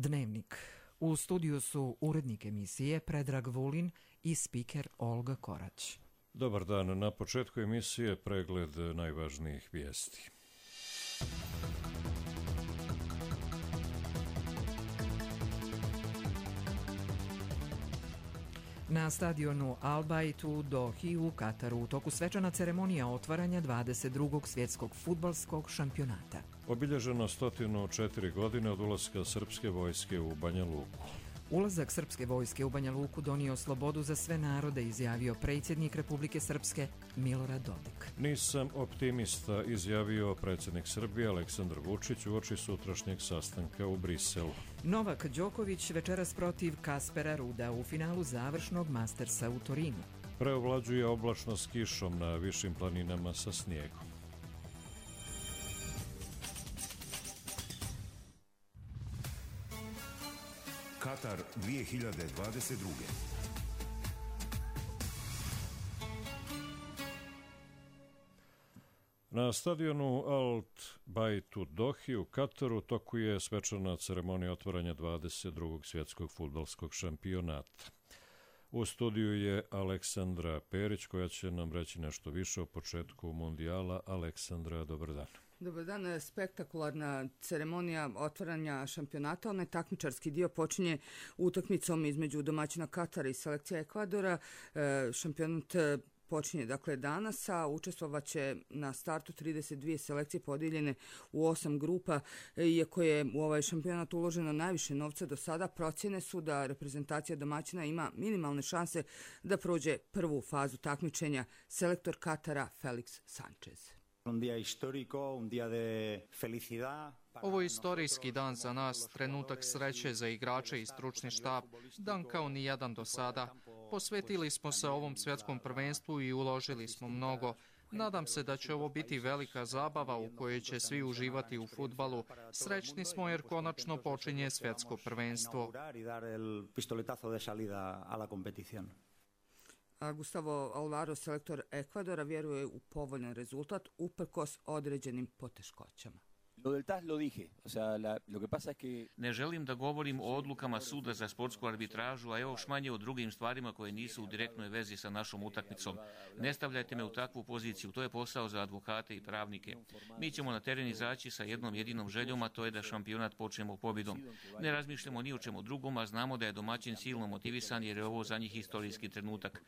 Dnevnik. U studiju su urednik emisije Predrag Vulin i spiker Olga Korać. Dobar dan. Na početku emisije pregled najvažnijih vijesti. Na stadionu Al Bayt u Dohi u Kataru u toku svečana ceremonija otvaranja 22. svjetskog fudbalskog šampionata. Obilježeno 104 godine od ulaska srpske vojske u Banja Luku. Ulazak srpske vojske u Banja Luku donio slobodu za sve narode, izjavio predsjednik Republike Srpske Milorad Dodik. Nisam optimista, izjavio predsjednik Srbije Aleksandar Vučić uoči sutrašnjeg sastanka u Briselu. Novak Đoković večeras protiv Kaspera Ruda u finalu završnog Mastersa u Torinu. Preovlađuje oblačnost s kišom na višim planinama sa snijegom. Katar 2022. Na stadionu Al Bayt u Dohi u Kataru toku je svečana ceremonija otvaranja 22. svjetskog fudbalskog šampionata. U studiju je Aleksandra Perić koja će nam reći nešto više o početku mundijala. Aleksandra, dobar dan. Dobar dan. Spektakularna ceremonija otvaranja šampionata. Onaj takmičarski dio počinje utakmicom između domaćina Katara i selekcija Ekvadora. Šampionat počinje dakle danas, a učestvovaće na startu 32 selekcije podijeljene u 8 grupa. Iako je u ovaj šampionat uloženo najviše novca do sada, procjene su da reprezentacija domaćina ima minimalne šanse da prođe prvu fazu takmičenja. Selektor Katara Felix Sanchez. Ovo je istorijski dan za nas, trenutak sreće za igrače i stručni štab, dan kao ni jedan do sada. Posvetili smo se ovom svjetskom prvenstvu i uložili smo mnogo. Nadam se da će ovo biti velika zabava u kojoj će svi uživati u fudbalu. Srećni smo jer konačno počinje svjetsko prvenstvo. Gustavo Alvaro, selektor Ekvadora, vjeruje u povoljan rezultat uprkos određenim poteškoćama. Ne želim da govorim o odlukama suda za sportsku arbitražu, a još manje o drugim stvarima koje nisu u direktnoj vezi sa našom utakmicom. Ne stavljajte me u takvu poziciju, to je posao za advokate i pravnike. Mi ćemo na teren izaći sa jednom jedinom željom, a to je da šampionat počnemo pobjedom. Ne razmišljamo ni o čemu drugom, a znamo da je domaćin silno motivisan jer je ovo za njih historijski trenutak.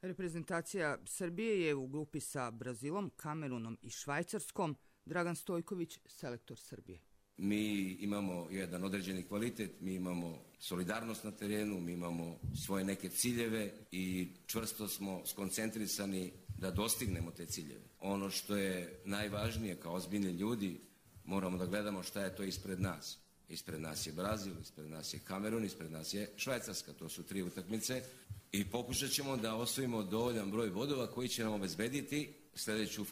Reprezentacija Srbije je u grupi sa Brazilom, Kamerunom i Švajcarskom. Dragan Stojković, selektor Srbije. Mi imamo jedan određeni kvalitet, mi imamo solidarnost na terenu, mi imamo svoje neke ciljeve i čvrsto smo skoncentrisani da dostignemo te ciljeve. Ono što je najvažnije kao ozbiljni ljudi, moramo da gledamo šta je to ispred nas. Ispred nas je Brazil, ispred nas je Kamerun, ispred nas je Švajcarska. To su 3 utakmice i pokušat ćemo da osvojimo dovoljan broj bodova koji će nam obezbediti sljedeću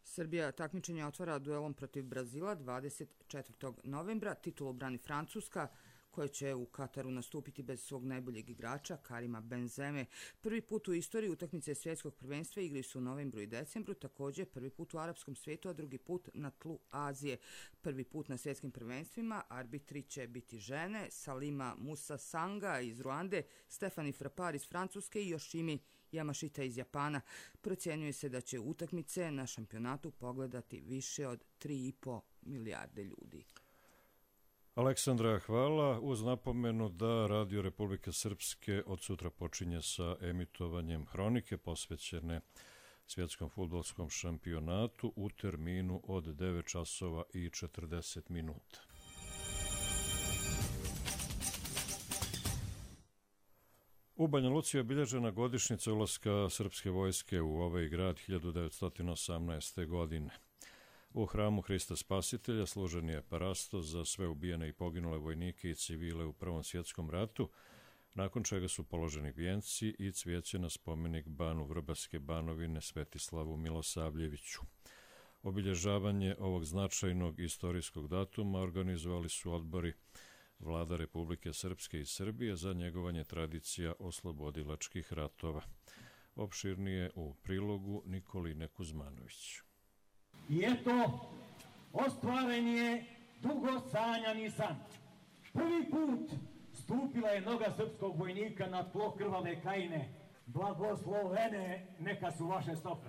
Srbija takmičenje otvara duelom protiv Brazila 24. novembra. Titulu brani Francuska, koja će u Kataru nastupiti bez svog najboljeg igrača, Karima Benzeme. Prvi put u istoriji utakmice svjetskog prvenstva igraju su u novembru i decembru, također prvi put u arapskom svijetu, a drugi put na tlu Azije. Prvi put na svjetskim prvenstvima arbitri će biti žene, Salima Musa Sanga iz Ruande, Stefani Frappar iz Francuske i Yoshimi Yamashita iz Japana. Procjenjuje se da će utakmice na šampionatu pogledati više od 3,5 milijarde ljudi. Aleksandra, hvala. Uz napomenu da Radio Republike Srpske od sutra počinje sa emitovanjem hronike posvećene svjetskom fudbalskom šampionatu u terminu od 9 časova i 40 minuta. U Banja Luci je obilježena godišnjica ulaska srpske vojske u ovaj grad 1918. godine. U hramu Hrista Spasitelja služen je parastos za sve ubijene i poginule vojnike i civile u Prvom svjetskom ratu, nakon čega su položeni vijenci i cvijeće na spomenik Banu Vrbaske Banovine Svetislavu Milosavljeviću. Obilježavanje ovog značajnog istorijskog datuma organizovali su odbori Vlada Republike Srpske i Srbije za njegovanje tradicija oslobodilačkih ratova. Opširnije u prilogu Nikoline Kuzmanović. I eto, ostvaren je dugo sanjani san. Prvi put stupila je noga srpskog vojnika na tlo krvave Krajine. Blagoslovene neka su vaše stope.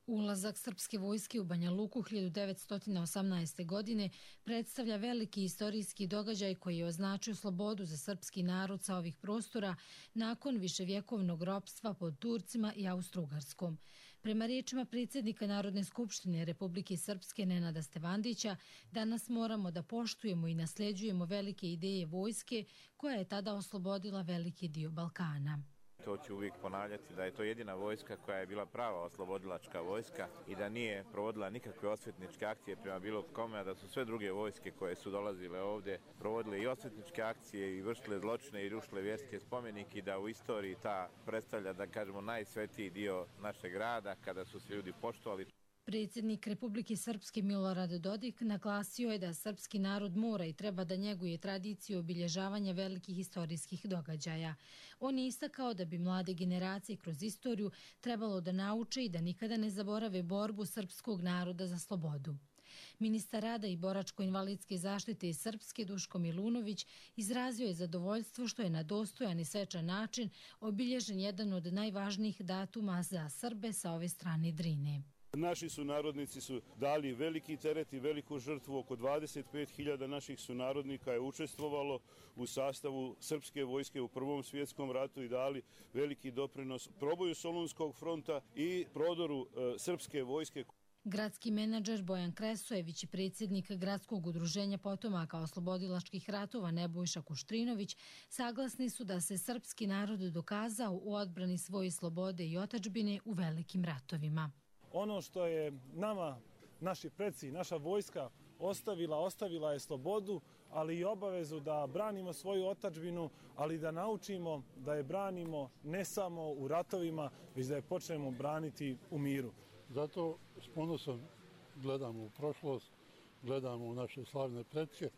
Ulazak srpske vojske u Banja Luku 1918. godine predstavlja veliki istorijski događaj koji je označio slobodu za srpski narod sa ovih prostora nakon viševjekovnog ropstva pod Turcima i Austro-Ugarskom. Prema riječima predsjednika Narodne skupštine Republike Srpske Nenada Stevandića, danas moramo da poštujemo i nasljeđujemo velike ideje vojske koja je tada oslobodila veliki dio Balkana. To ću uvijek ponavljati da je to jedina vojska koja je bila prava oslobodilačka vojska i da nije provodila nikakve osvetničke akcije prema bilo kome, a da su sve druge vojske koje su dolazile ovdje provodile i osvetničke akcije i vršile zločine i rušile vjerske spomenike i da u istoriji ta predstavlja, da kažemo, najsvetiji dio našeg grada kada su se ljudi poštovali. Predsjednik Republike Srpske Milorad Dodik naglasio je da srpski narod mora i treba da njeguje tradiciju obilježavanja velikih istorijskih događaja. On je istakao da bi mlade generacije kroz istoriju trebalo da nauče i da nikada ne zaborave borbu srpskog naroda za slobodu. Ministar rada i boračko-invalidske zaštite iz Srpske Duško Milunović izrazio je zadovoljstvo što je na dostojan i svečan način obilježen jedan od najvažnijih datuma za Srbe sa ove strane Drine. Naši sunarodnici su dali veliki teret i veliku žrtvu. Oko 25.000 naših sunarodnika je učestvovalo u sastavu srpske vojske u Prvom svjetskom ratu i dali veliki doprinos proboju Solunskog fronta i prodoru srpske vojske. Gradski menadžer Bojan Kresojević i predsjednik Gradskog udruženja potomaka oslobodilačkih ratova Nebojša Kuštrinović saglasni su da se srpski narod dokazao u odbrani svoje slobode i otadžbine u velikim ratovima. Ono što je nama, naši preci, naša vojska ostavila je slobodu, ali i obavezu da branimo svoju otadžbinu, ali da naučimo da je branimo ne samo u ratovima, već da je počnemo braniti u miru. Zato s ponosom gledamo u prošlost, gledamo u naše slavne pretke.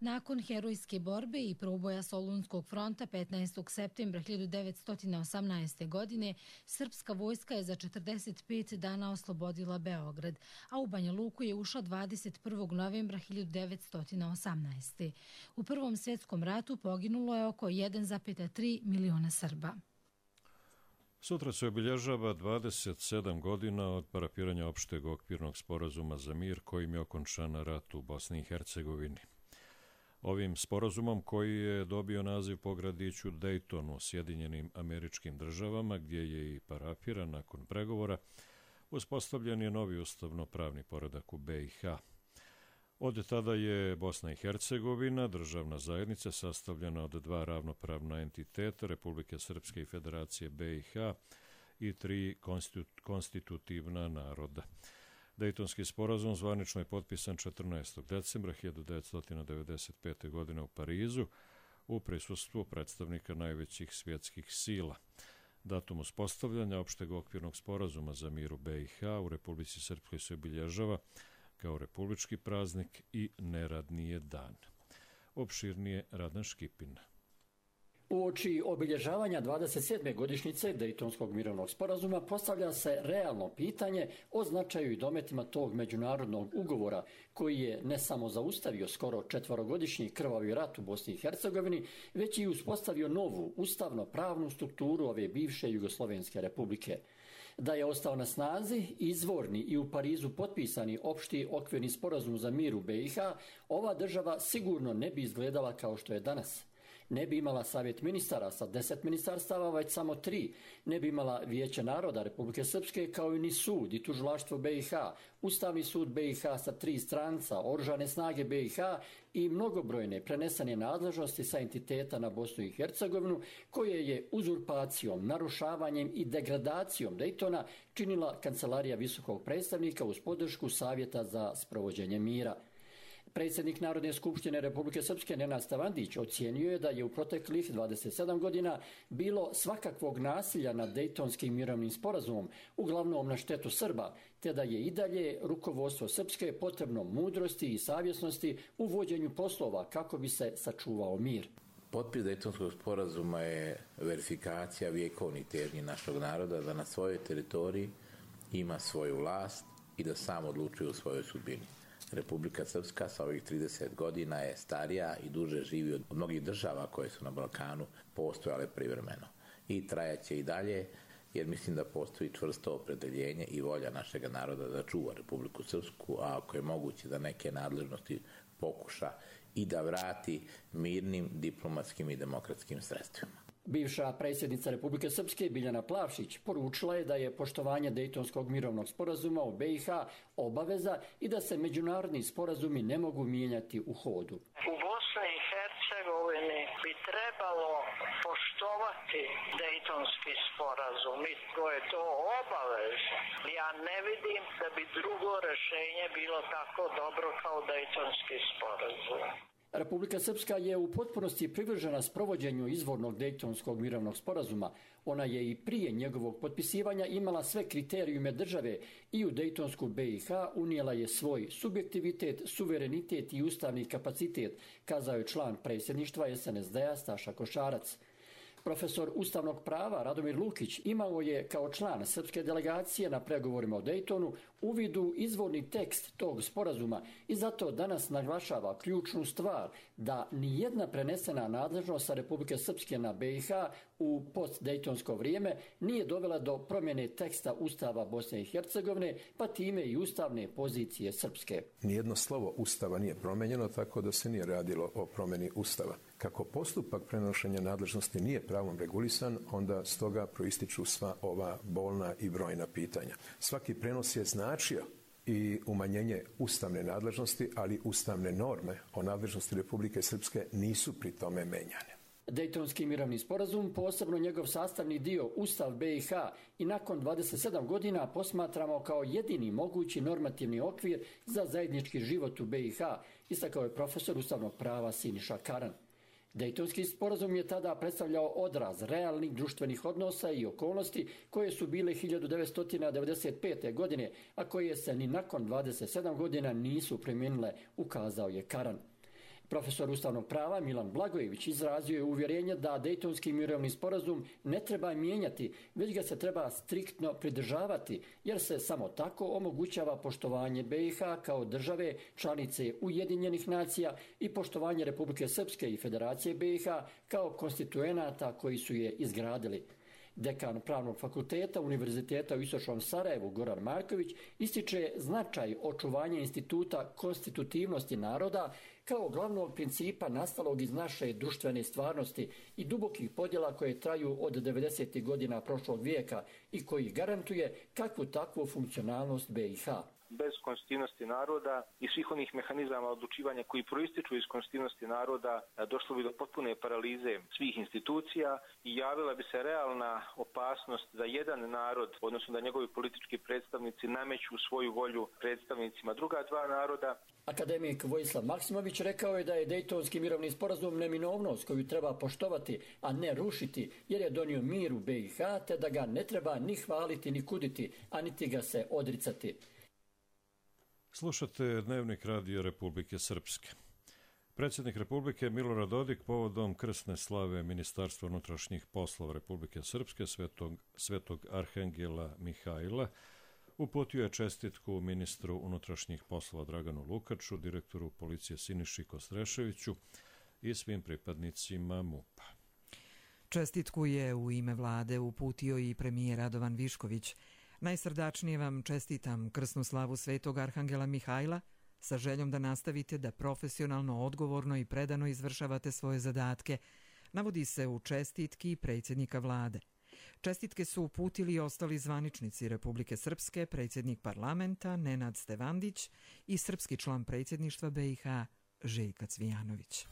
Nakon herojske borbe i proboja Solunskog fronta 15. septembra 1918. godine, srpska vojska je za 45 dana oslobodila Beograd, a u Banja Luku je ušla 21. novembra 1918. U Prvom svjetskom ratu poginulo je oko 1,3 miliona Srba. Sutra se obilježava 27 godina od parafiranja opšteg okvirnog sporazuma za mir kojim je okončan rat u Bosni i Hercegovini. Ovim sporazumom, koji je dobio naziv po gradiću Daytonu u Sjedinjenim Američkim Državama, gdje je i parafiran nakon pregovora, uspostavljen je novi ustavno-pravni poredak u BiH. Od tada je Bosna i Hercegovina državna zajednica sastavljena od dva ravnopravna entiteta, Republike Srpske i Federacije BiH, i tri konstitutivna naroda. Dejtonski sporazum zvanično je potpisan 14. decembra 1995. godine u Parizu u prisustvu predstavnika najvećih svjetskih sila. Datum uspostavljanja opšteg okvirnog sporazuma za mir u BiH u Republici Srpskoj se obilježava kao republički praznik i neradni je dan. Opširnije Radan Škipin. Uoči obilježavanja 27. godišnjice Dejtonskog mirovnog sporazuma postavlja se realno pitanje o značaju i dometima tog međunarodnog ugovora koji je ne samo zaustavio skoro 4-godišnji krvavi rat u Bosni i Hercegovini, već i uspostavio novu ustavno-pravnu strukturu ove bivše Jugoslovenske republike. Da je ostao na snazi izvorni i u Parizu potpisani opšti okvirni sporazum za mir u BiH, ova država sigurno ne bi izgledala kao što je danas. Ne bi imala savjet ministara sa 10 ministarstava, već samo 3. Ne bi imala Vijeće naroda Republike Srpske, kao i ni sud i tužilaštvo BiH, Ustavni sud BiH sa 3 stranca, Oružane snage BiH i mnogobrojne prenesene nadležnosti sa entiteta na Bosnu i Hercegovinu, koje je uzurpacijom, narušavanjem i degradacijom Dejtona činila Kancelarija visokog predstavnika uz podršku Savjeta za sprovođenje mira. Predsjednik Narodne skupštine Republike Srpske Nenad Stevandić ocijenio je da je u proteklih 27 godina bilo svakakvog nasilja nad Dejtonskim mirovnim sporazumom, uglavnom na štetu Srba, te da je i dalje rukovodstvo Srpske potrebno mudrosti i savjesnosti u vođenju poslova kako bi se sačuvao mir. Potpis Dejtonskog sporazuma je verifikacija vjekovnih težnji našeg naroda da na svojoj teritoriji ima svoju vlast i da sam odlučuje o svojoj sudbini. Republika Srpska sa ovih 30 godina je starija i duže živi od mnogih država koje su na Balkanu postojale privremeno. I trajaće i dalje, jer mislim da postoji čvrsto opredeljenje i volja našeg naroda da čuva Republiku Srpsku, a ako je moguće da neke nadležnosti pokuša i da vrati mirnim, diplomatskim i demokratskim sredstvima. Bivša predsjednica Republike Srpske Biljana Plavšić poručila je da je poštovanje Dejtonskog mirovnog sporazuma u BiH obaveza i da se međunarodni sporazumi ne mogu mijenjati u hodu. U Bosni i Hercegovini bi trebalo poštovati Dejtonski sporazum i to je to obaveza. Ja ne vidim da bi drugo rješenje bilo tako dobro kao Dejtonski sporazum. Republika Srpska je u potpunosti privržena sprovođenju izvornog Dejtonskog mirovnog sporazuma. Ona je i prije njegovog potpisivanja imala sve kriterijume države i u Dejtonsku BiH unijela je svoj subjektivitet, suverenitet i ustavni kapacitet, kazao je član predsjedništva SNSD-a Staša Košarac. Profesor ustavnog prava Radomir Lukić imao je kao član srpske delegacije na pregovorima o Dejtonu uvid u izvorni tekst tog sporazuma i zato danas naglašava ključnu stvar da nijedna prenesena nadležnost sa Republike Srpske na BiH u postdejtonsko vrijeme nije dovela do promjene teksta Ustava Bosne i Hercegovine, pa time i ustavne pozicije Srpske. Nijedno slovo Ustava nije promenjeno, tako da se nije radilo o promjeni Ustava. Kako postupak prenošenja nadležnosti nije pravom regulisan, onda stoga proističu sva ova bolna i brojna pitanja. Svaki prenos je značio i umanjenje ustavne nadležnosti, ali ustavne norme o nadležnosti Republike Srpske nisu pri tome menjane. Dejtonski mirovni sporazum, posebno njegov sastavni dio Ustav BiH, i nakon 27 godina posmatramo kao jedini mogući normativni okvir za zajednički život u BiH, istakao je profesor ustavnog prava Siniša Karan. Dejtonski sporazum je tada predstavljao odraz realnih društvenih odnosa i okolnosti koje su bile 1995. godine, a koje se ni nakon 27 godina nisu primijenile, ukazao je Karan. Profesor ustavnog prava Milan Blagojević izrazio je uvjerenje da Dejtonski mirovni sporazum ne treba mijenjati, već ga se treba striktno pridržavati, jer se samo tako omogućava poštovanje BiH kao države članice Ujedinjenih nacija i poštovanje Republike Srpske i Federacije BiH kao konstituenata koji su je izgradili. Dekan Pravnog fakulteta Univerziteta u Istočnom Sarajevu Goran Marković ističe značaj očuvanja instituta konstitutivnosti naroda kao glavnog principa nastalog iz naše društvene stvarnosti i dubokih podjela koje traju od 90. godina prošlog vijeka i koji garantuje kakvu takvu funkcionalnost BiH. Bez konstitutivnosti naroda i svih onih mehanizama odlučivanja koji proističu iz konstitutivnosti naroda došlo bi do potpune paralize svih institucija i javila bi se realna opasnost da jedan narod, odnosno da njegovi politički predstavnici nameću svoju volju predstavnicima druga dva naroda. Akademik Vojislav Maksimović rekao je da je Dejtonski mirovni sporazum neminovnost koju treba poštovati, a ne rušiti, jer je donio mir u BiH, te da ga ne treba ni hvaliti ni kuditi, a niti ga se odricati. Slušate Dnevnik Radio Republike Srpske. Predsjednik Republike Milorad Dodik povodom krsne slave Ministarstva unutrašnjih poslova Republike Srpske Svetog Arhangela Mihajla uputio je čestitku ministru unutrašnjih poslova Draganu Lukaču, direktoru policije Siniši Kostreševiću i svim pripadnicima MUP-a. Čestitku je u ime vlade uputio i premijer Radovan Višković. Najsrdačnije vam čestitam krsnu slavu Svetog Arhangela Mihajla sa željom da nastavite da profesionalno, odgovorno i predano izvršavate svoje zadatke, navodi se u čestitki predsjednika vlade. Čestitke su uputili i ostali zvaničnici Republike Srpske, predsjednik parlamenta Nenad Stevandić i srpski član predsjedništva BiH Željka Cvijanović.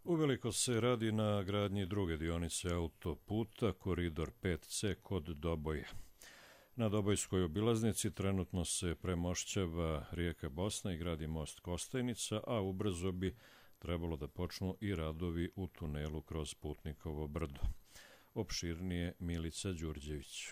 Uveliko se radi na gradnji druge dionice autoputa Koridor 5C kod Doboja. Na Dobojskoj obilaznici trenutno se premošćava rijeka Bosna i gradi most Kostajnica, a ubrzo bi trebalo da počnu i radovi u tunelu kroz Putnikovo brdo. Opširnije Milica Đurđević.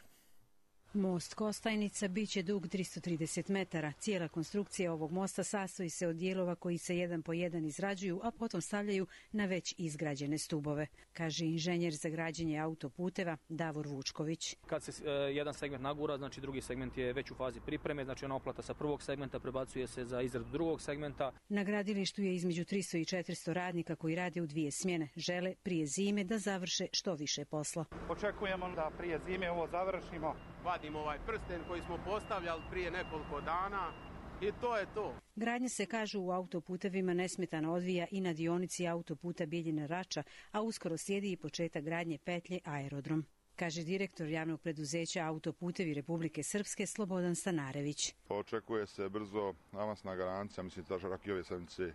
Most Kostajnica biće dug 330 metara. Cijela konstrukcija ovog mosta sastoji se od dijelova koji se jedan po jedan izrađuju, a potom stavljaju na već izgrađene stubove, kaže inženjer za građenje autoputeva Davor Vučković. Kad se jedan segment nagura, znači drugi segment je već u fazi pripreme, znači ona oplata sa prvog segmenta prebacuje se za izradu drugog segmenta. Na gradilištu je između 300 i 400 radnika koji rade u 2 smjene. Žele prije zime da završe što više posla. Očekujemo da prije zime ovo završimo. Vadimo ovaj prsten koji smo postavljali prije nekoliko dana i to je to. Gradnja se, kažu, u autoputevima nesmetano odvija i na dionici autoputa Bijeljina-Rača, a uskoro slijedi i početak gradnje petlje Aerodrom, kaže direktor javnog preduzeća Autoputevi Republike Srpske Slobodan Stanarević. Očekuje se brzo avansna garancija, mislim da čak i ove sedmice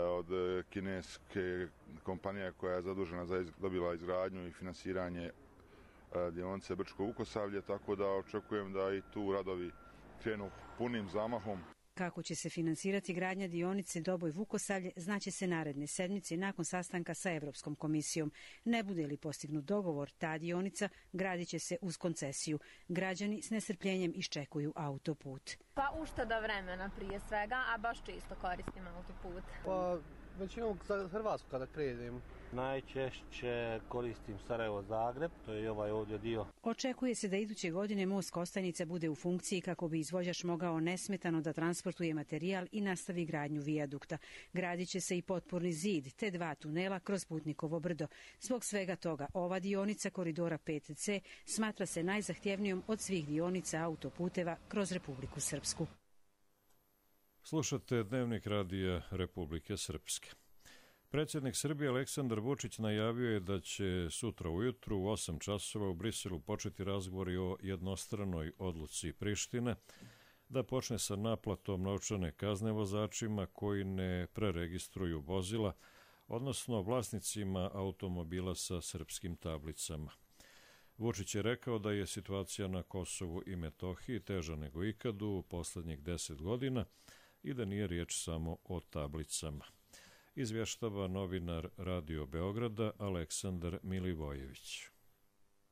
od kineske kompanije koja je zadužena za dobila izgradnju i finansiranje dionice Brčko-Vukosavlje, tako da očekujem da i tu radovi krenu punim zamahom. Kako će se finansirati gradnja dionice Doboj-Vukosavlje znaće se naredne sedmice nakon sastanka sa Evropskom komisijom. Ne bude li postignut dogovor, ta dionica gradit će se uz koncesiju. Građani s nestrpljenjem iščekuju autoput. Pa ušteda vremena prije svega, a baš često koristim autoput. Pa većinom za Hrvatsku kada prijedem. Najčešće koristim Sarajevo-Zagreb, to je ovaj ovdje dio. Očekuje se da iduće godine most Kostajnica bude u funkciji kako bi izvođač mogao nesmetano da transportuje materijal i nastavi gradnju vijadukta. Gradit će se i potporni zid te 2 tunela kroz Putnikovo brdo. Zbog svega toga, ova dionica koridora 5C smatra se najzahtjevnijom od svih dionica autoputeva kroz Republiku Srpsku. Slušate Dnevnik radija Republike Srpske. Predsjednik Srbije Aleksandar Vučić najavio je da će sutra ujutru u 8 časova u Briselu početi razgovori o jednostranoj odluci Prištine da počne sa naplatom novčane kazne vozačima koji ne preregistruju vozila, odnosno vlasnicima automobila sa srpskim tablicama. Vučić je rekao da je situacija na Kosovu i Metohiji teža nego ikad u posljednjih 10 godina i da nije riječ samo o tablicama. Izvještava novinar Radio Beograda Aleksandar Milivojević.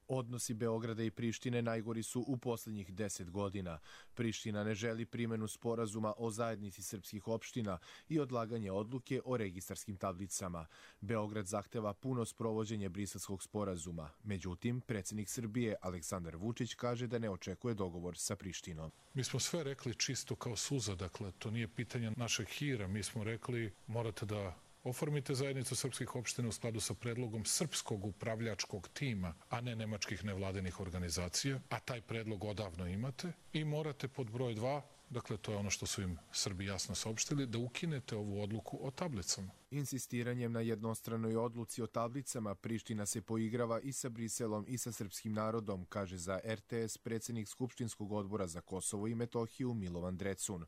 Odnosi Beograda i Prištine najgori su u posljednjih 10 godina. Priština ne želi primjenu sporazuma o zajednici srpskih opština i odlaganje odluke o registarskim tablicama. Beograd zahteva puno sprovođenje Briselskog sporazuma. Međutim, predsjednik Srbije Aleksandar Vučić kaže da ne očekuje dogovor sa Prištinom. Mi smo sve rekli čisto kao suza, dakle, to nije pitanje našeg hira. Mi smo rekli morate da oformite zajednicu srpskih opština u skladu sa predlogom srpskog upravljačkog tima, a ne nemačkih nevladinih organizacija, a taj predlog odavno imate i morate pod broj 2, dakle to je ono što su im Srbi jasno saopštili, da ukinete ovu odluku o tablicama. Insistiranjem na jednostranoj odluci o tablicama Priština se poigrava i sa Briselom i sa srpskim narodom, kaže za RTS predsjednik Skupštinskog odbora za Kosovo i Metohiju Milovan Drecun.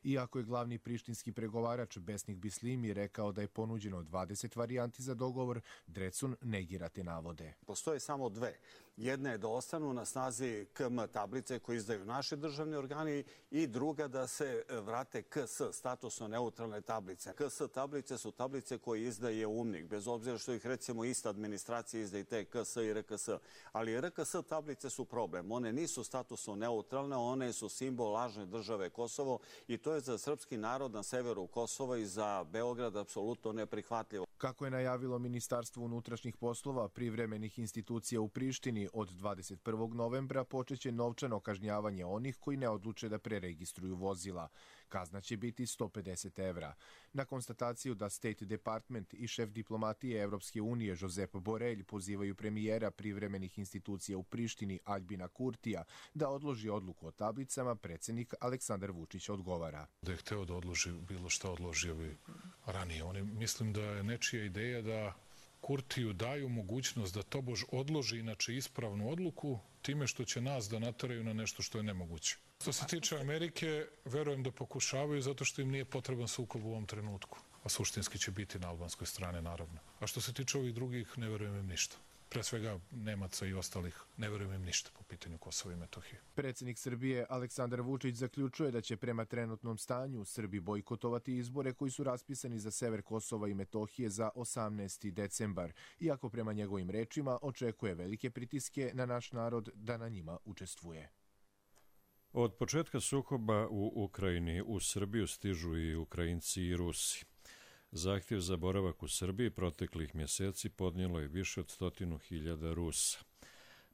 Iako je glavni prištinski pregovarač Besnik Bislimi rekao da je ponuđeno 20 varijanti za dogovor, Drecun negira te navode. Postoje samo 2. Jedna je da ostanu na snazi KM tablice koje izdaju naši državni organi i druga da se vrate KS, statusno neutralne tablice. KS tablice su tablice koje izdaje UMNIK, bez obzira što ih recimo ista administracija izdaje te KS i RKS. Ali RKS tablice su problem. One nisu statusno neutralne, one su simbol lažne države Kosovo i to je za srpski narod na severu Kosova i za Beograd apsolutno neprihvatljivo. Kako je najavilo Ministarstvo unutrašnjih poslova privremenih institucija u Prištini, od 21. novembra počeće novčano kažnjavanje onih koji ne odluče da preregistruju vozila. Kazna će biti 150 evra. Na konstataciju da State Department i šef diplomatije Evropske unije Josep Borelj pozivaju premijera privremenih institucija u Prištini Aljbina Kurtija da odloži odluku o tablicama, predsjednik Aleksandar Vučić odgovara. Da je hteo da odloži bilo šta, odložio bi ranije. Mislim da je nečija ideja da Kurtiju daju mogućnost da tobož odloži inače ispravnu odluku time što će nas da nateraju na nešto što je nemoguće. Što se tiče Amerike, verujem da pokušavaju zato što im nije potreban sukob u ovom trenutku. A suštinski će biti na albanskoj strani, naravno. A što se tiče ovih drugih, ne verujem im ništa. pre svega Nemaca i ostalih, ne verujem im ništa po pitanju Kosova i Metohije. Predsjednik Srbije Aleksandar Vučić zaključuje da će prema trenutnom stanju Srbi bojkotovati izbore koji su raspisani za sever Kosova i Metohije za 18. decembar, iako prema njegovim rečima očekuje velike pritiske na naš narod da na njima učestvuje. Od početka sukoba u Ukrajini u Srbiju stižu i Ukrajinci i Rusi. Zahtjev za boravak u Srbiji proteklih mjeseci podnijelo je više od 100.000 Rusa.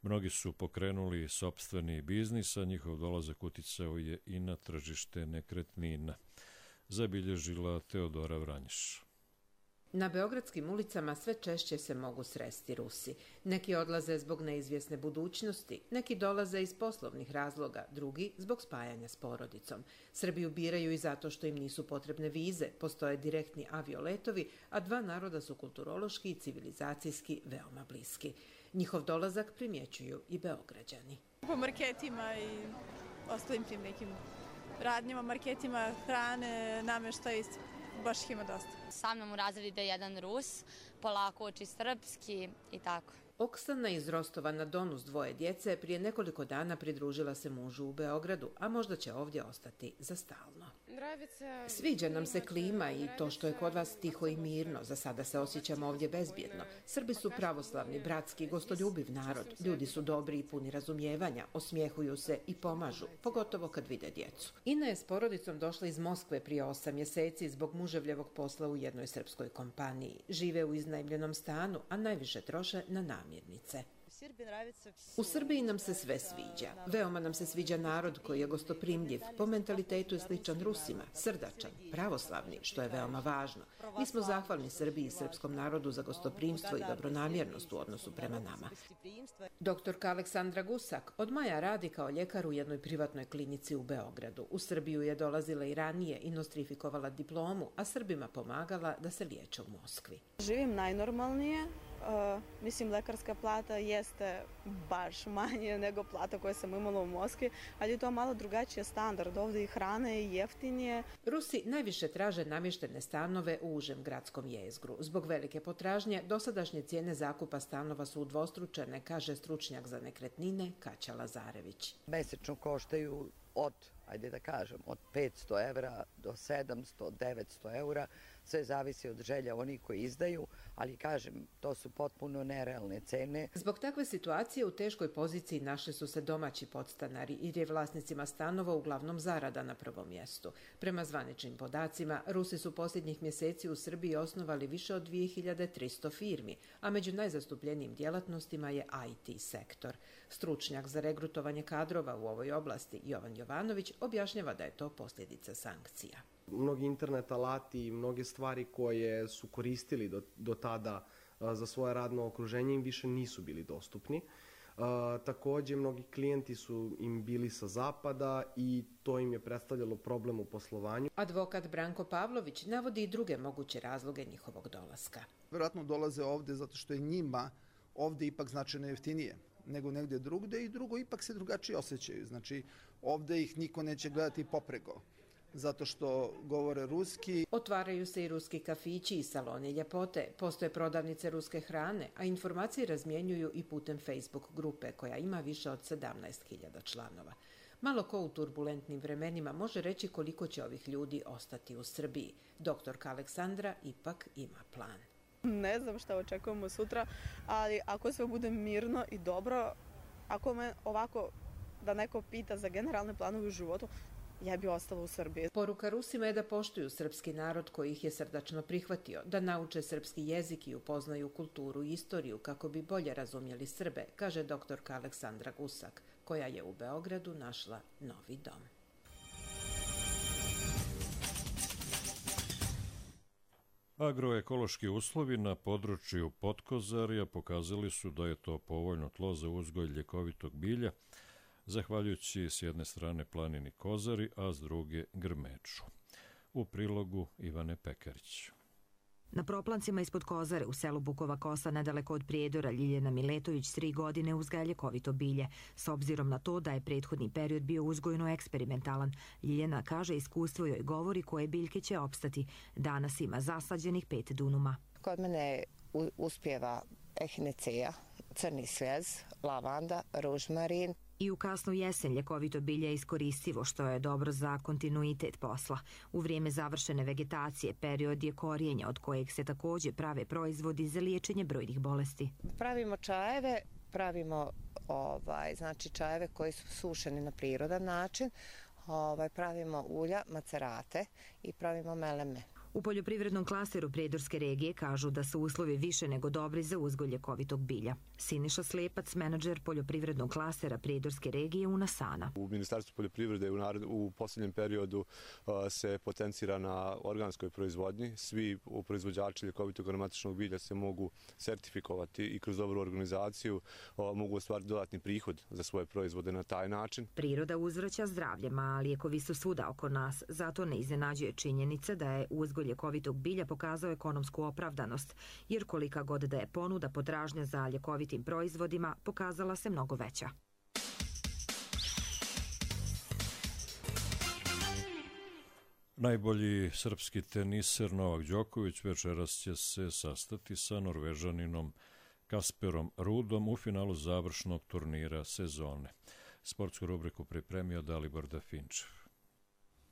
Mnogi su pokrenuli sopstveni biznis, a njihov dolazak uticao je i na tržište nekretnina. Zabilježila Teodora Vranješ. Na beogradskim ulicama sve češće se mogu sresti Rusi. Neki odlaze zbog neizvjesne budućnosti, neki dolaze iz poslovnih razloga, drugi zbog spajanja s porodicom. Srbiju biraju i zato što im nisu potrebne vize, postoje direktni avioletovi, a dva naroda su kulturološki i civilizacijski veoma bliski. Njihov dolazak primjećuju i Beograđani. Po marketima i ostalim tim nekim radnjama, marketima hrane, namještaj, baš ih ima dosta. Sa mnom u razredu ide jedan Rus, polako uči srpski i tako. Oksana iz Rostova na Donu s dvoje djece prije nekoliko dana pridružila se mužu u Beogradu, a možda će ovdje ostati za stalno. Sviđa nam se klima i to što je kod vas tiho i mirno. Za sada se osjećamo ovdje bezbjedno. Srbi su pravoslavni, bratski, gostoljubiv narod. Ljudi su dobri i puni razumijevanja, osmijehuju se i pomažu, pogotovo kad vide djecu. Ina je s porodicom došla iz Moskve prije 8 mjeseci zbog muževljevog posla u jednoj srpskoj kompaniji. Žive u iznajmljenom stanu, a najviše troše na namirnice. U Srbiji nam se sve sviđa. Veoma nam se sviđa narod koji je gostoprimljiv, po mentalitetu je sličan Rusima, srdačan, pravoslavni, što je veoma važno. Mi smo zahvalni Srbiji i srpskom narodu za gostoprimstvo i dobronamjernost u odnosu prema nama. Doktorka Aleksandra Gusak od maja radi kao ljekar u jednoj privatnoj klinici u Beogradu. U Srbiju je dolazila i ranije i nostrifikovala diplomu, a Srbima pomagala da se liječe u Moskvi. Živim najnormalnije. Mislim, lekarska plata jeste baš manje nego plata koje sam imala u Moskvi, ali je to malo drugačiji standard. Ovdje i hrana je jeftinije. Rusi najviše traže namještene stanove u užem gradskom jezgru. Zbog velike potražnje, dosadašnje cijene zakupa stanova su udvostručene, kaže stručnjak za nekretnine Kaća Lazarević. Mesečno koštaju od 500 evra do 700, 900 eura. Sve zavisi od želja onih koji izdaju, ali kažem, to su potpuno nerealne cene. Zbog takve situacije u teškoj poziciji našli su se domaći podstanari jer je vlasnicima stanova uglavnom zarada na prvom mjestu. Prema zvaničnim podacima, Rusi su posljednjih mjeseci u Srbiji osnovali više od 2300 firmi, a među najzastupljenijim djelatnostima je IT sektor. Stručnjak za regrutovanje kadrova u ovoj oblasti, Jovan Jovanović, objašnjava da je to posljedica sankcija. Mnogi internet alati i mnoge stvari koje su koristili do tada za svoje radno okruženje im više nisu bili dostupni. Također, mnogi klijenti su im bili sa zapada i to im je predstavljalo problem u poslovanju. Advokat Branko Pavlović navodi i druge moguće razloge njihovog dolaska. Vjerojatno dolaze ovdje zato što je njima ovdje ipak značajno jeftinije nego negdje drugdje i drugo, ipak se drugačije osjećaju. Znači, ovdje ih niko neće gledati popreko, zato što govore ruski. Otvaraju se i ruski kafići i saloni ljepote, postoje prodavnice ruske hrane, a informacije razmjenjuju i putem Facebook grupe koja ima više od 17.000 članova. Malo ko u turbulentnim vremenima može reći koliko će ovih ljudi ostati u Srbiji. Doktorka Aleksandra ipak ima plan. Ne znam šta očekujemo sutra, ali ako sve bude mirno i dobro, ako me ovako da neko pita za generalne planove u životu, ja bi ostala u Srbiji. Poruka Rusima je da poštuju srpski narod koji ih je srdačno prihvatio, da nauče srpski jezik i upoznaju kulturu i istoriju kako bi bolje razumjeli Srbe, kaže doktorka Aleksandra Gusak, koja je u Beogradu našla novi dom. Agroekološki uslovi na području Potkozarja pokazali su da je to povoljno tlo za uzgoj ljekovitog bilja, zahvaljujući s jedne strane planini Kozari, a s druge grmeču. U prilogu Ivane Pekarić. Na proplancima ispod Kozare u selu Bukova Kosa nedaleko od Prijedora Ljiljana Miletović 3 godine uzgaja ljekovito bilje. S obzirom na to da je prethodni period bio uzgojno eksperimentalan, Ljiljana kaže iskustvo joj govori koje biljke će opstati. Danas ima zasađenih 5 dunuma. Kod mene uspijeva ehinecija, crni svjez, lavanda, ružmarin. I u kasnu jesen ljekovito bilje je iskoristivo, što je dobro za kontinuitet posla. U vrijeme završene vegetacije period je korijenja, od kojeg se također prave proizvodi za liječenje brojnih bolesti. Pravimo čajeve, pravimo znači čajeve koji su sušeni na prirodan način, pravimo ulja, macerate i pravimo meleme. U poljoprivrednom klasteru Prijedorske regije kažu da su uslovi više nego dobri za uzgoj ljekovitog bilja. Siniša Slepac, menadžer poljoprivrednog klastera Prijedorske regije Unasana. U Ministarstvu poljoprivrede u posljednjem periodu se potencira na organskoj proizvodnji. Svi proizvođači ljekovitog aromatičnog bilja se mogu sertifikovati i kroz dobru organizaciju mogu ostvariti dodatni prihod za svoje proizvode na taj način. Priroda uzvraća zdravljem, a lijekovi su svuda oko nas. Zato ne iznenađuje činjenica da je uzgoj ljekovitog bilja pokazao ekonomsku opravdanost, jer kolika god da je ponuda, potražnja za ljekovitim proizvodima pokazala se mnogo veća. Najbolji srpski teniser Novak Đoković večeras će se sastati sa Norvežaninom Kasperom Rudom u finalu završnog turnira sezone. Sportsku rubriku pripremio Dalibor Dafinčev.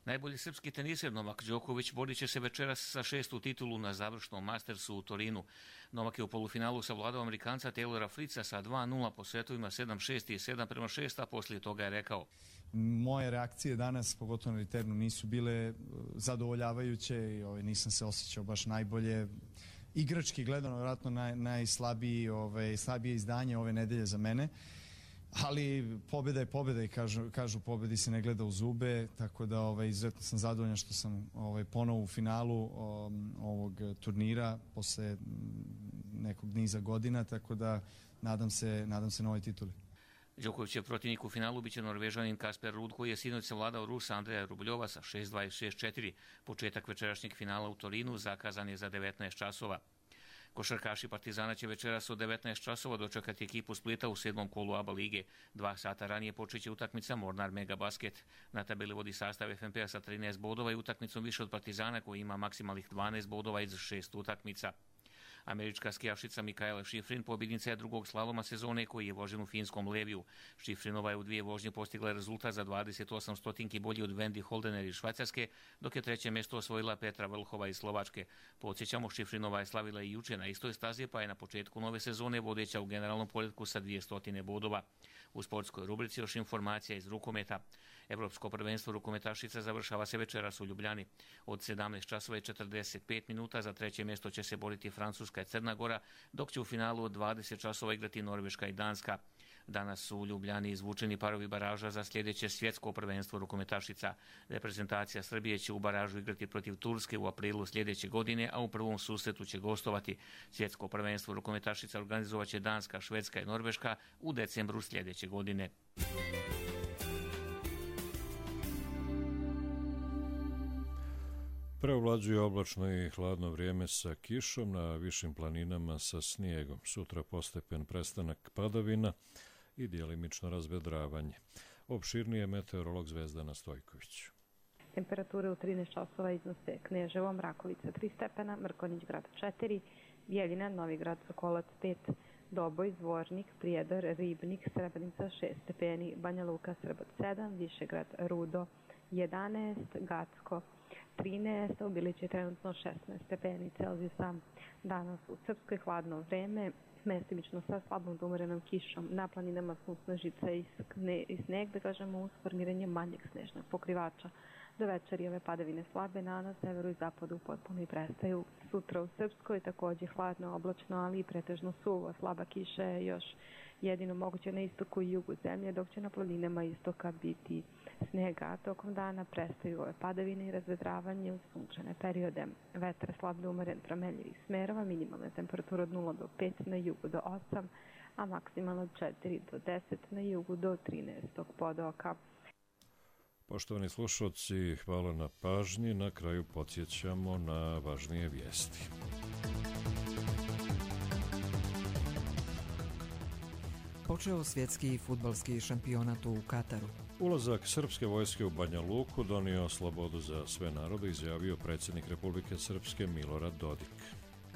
Najbolji srpski teniser Novak Đoković borit će se večeras sa 6. titulu na završnom Mastersu u Torinu. Novak je u polufinalu savladao Amerikanca Taylora Fritza sa 2-0 po setovima 7-6 i 7-6, a poslije toga je rekao: moje reakcije danas, pogotovo na returnu, nisu bile zadovoljavajuće i nisam se osjećao baš najbolje. Igrački gledano, vjerojatno slabije izdanje ove nedelje za mene. Ali pobjeda je pobjeda i kažu pobjedi se ne gleda u zube, tako da izuzetno sam zadovoljan što sam ponovo u finalu ovog turnira posle nekog niza godina, tako da nadam se novoj tituli. Đokovićev protivnik u finalu biće Norvežanin Kasper Ruud, koji je sinoć savladao Rusa Andreja Rubljova sa 6-2 i 6-4. Početak večerašnjeg finala u Torinu zakazan je za 19 časova. Košarkaši Partizana će večeras od 19 časova dočekati ekipu Splita u 7. kolu ABA lige. 2 sata ranije počeće utakmica Mornar Mega Basket. Na tabeli vodi sastav FNP-a sa 13 bodova i utakmicom više od Partizana, koji ima maksimalnih 12 bodova iz 6 utakmica. Američka skijavšica Mikaela Šifrin pobjednica je drugog slaloma sezone, koji je vožen u finskom Leviju. Šifrinova je u 2 vožnje postigla rezultat za 28 stotinki bolji od Wendy Holdener iz Švajcarske, dok je 3. mjesto osvojila Petra Vlhova iz Slovačke. Podsjećamo, Šifrinova je slavila i juče na istoj stazi, pa je na početku nove sezone vodeća u generalnom poretku sa 200 bodova. U sportskoj rubrici još informacija iz rukometa. Evropsko prvenstvo rukometašica završava se večeras u Ljubljani. Od 17 časova i 45 minuta za 3. mjesto će se boriti Francuska i Crna Gora, dok će u finalu od 20 časova igrati Norveška i Danska. Danas su u Ljubljani izvučeni parovi baraža za sljedeće svjetsko prvenstvo rukometašica. Reprezentacija Srbije će u baražu igrati protiv Turske u aprilu sljedeće godine, a u prvom susretu će gostovati. Svjetsko prvenstvo rukometašica organizovat će Danska, Švedska i Norveška u decembru sljedeće godine. Preovlađuje oblačno i hladno vrijeme sa kišom, na višim planinama sa snijegom. Sutra postepen prestanak padavina i djelimično razvedravanje. Opširnije meteorolog Zvezdana Stojković. Temperature u 13 časova iznose Kneževo, Mrakovica 3 stepena, Mrkonjić grad 4, Bjeljina, Novigrad, Sokolac 5, Doboj, Zvornik, Prijedor, Ribnik, Srebrenica 6 stepeni, Banja Luka, Srbac 7, Višegrad, Rudo 11, Gacko 13, u Bilići je trenutno 16 stepeni Celzijusa. Danas u Srpskoj hladno vreme, mestimično sa slabom do umerenom kišom. Na planinama su snežica i sneg, da kažemo, uz formiranje manjeg snežnog pokrivača. Do večeri ove padavine slabe, na severu i zapadu potpuno i prestaju. Sutra u Srpskoj također hladno, oblačno, ali i pretežno suvo. Slaba kiša je još jedino moguće na istoku i jugu zemlje, dok će na planinama istoka biti snega. Tokom dana prestaju ove padavine i razvedravanje u sunčane periode. Vetar slab do umeren promenljivih smerova, minimalna temperatura od 0 do 5, na jugu do 8, a maksimalno od 4 do 10, na jugu do 13 podoka. Poštovani slušalci, hvala na pažnji. Na kraju podsjećamo na važnije vijesti. Počeo svjetski fudbalski šampionat u Kataru. Ulazak srpske vojske u Banja Luku donio slobodu za sve narode, izjavio predsjednik Republike Srpske Milorad Dodik.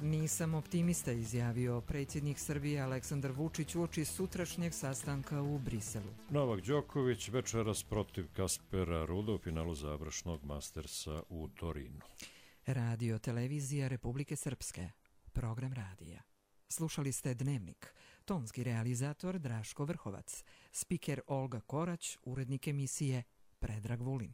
Nisam optimista, izjavio predsjednik Srbije Aleksandar Vučić uoči sutrašnjeg sastanka u Briselu. Novak Đoković večeras protiv Kaspera Ruda u finalu završnog Mastersa u Torinu. Radio televizija Republike Srpske. Program radija. Slušali ste Dnevnik. Tonski realizator Draško Vrhovac. Spiker Olga Korać, urednik emisije Predrag Vulin.